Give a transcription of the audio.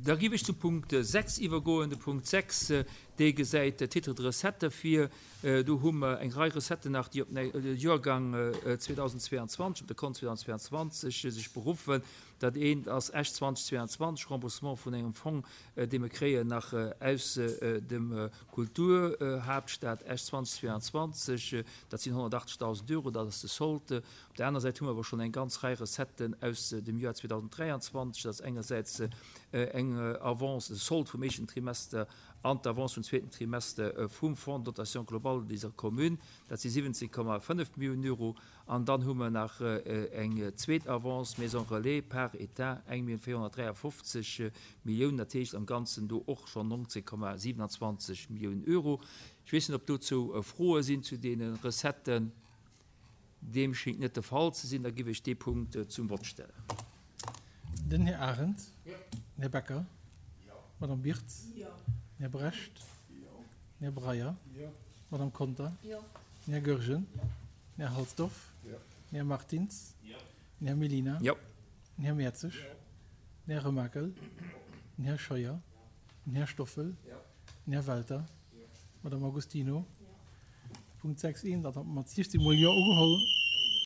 Da géif ech zum Punkt 6 iwwergoen. De Punkt 6, dee gesäit d'Titres de recettes vir. Do hu mer eng Rei Recetten nach, déi op de Joergang 2022, op de Kont 2022 sech beruffen. Dat eent ass Esch 2022, Remboursement vun engem Fong, dee mer kréien nach aus dem Kulturhaaptstad Esch 2022. Dat sinn 180.000 Euro, dat ass de Solde. Op der aner Säit hu mer awer schonn eng ganz Rei Recetten aus dem Joer 2023. Dat ass engersäits eng Avance, de Solde vum éischten Trimester an d'Avance vum zweeten Trimester vum Fonds de dotation globale des communes, dat si 17,5 Milliounen Euro. An dann hu mer nach eng zweet Avance, Maison relais, par État, 1,453 Milliounen, dat heescht am Ganzen do och schonn 19,27 Milliounen Euro. Ech weess net, ob dozou Froe sinn zu deene Recetten. Deem schéngt net de Fall ze sinn. Da giff ech dee Punkt zum Vott stellen. Den Här Arendt. Den Här Becker. D'Madame Birtz. Den Här Brecht. Den Här Breyer. D'Madame Conter. Den Här Goergen. Den Här Halsdorf. Den Här Martins. Den Här Mellina. Den Här Mertzig. Den Här Remakel. Den Här Scheuer. Den Här Stoffel. Den Här Welter. D'Madame Agostino. Punkt 6 1, dat hat mer mat 16 mol Jo ugeholl.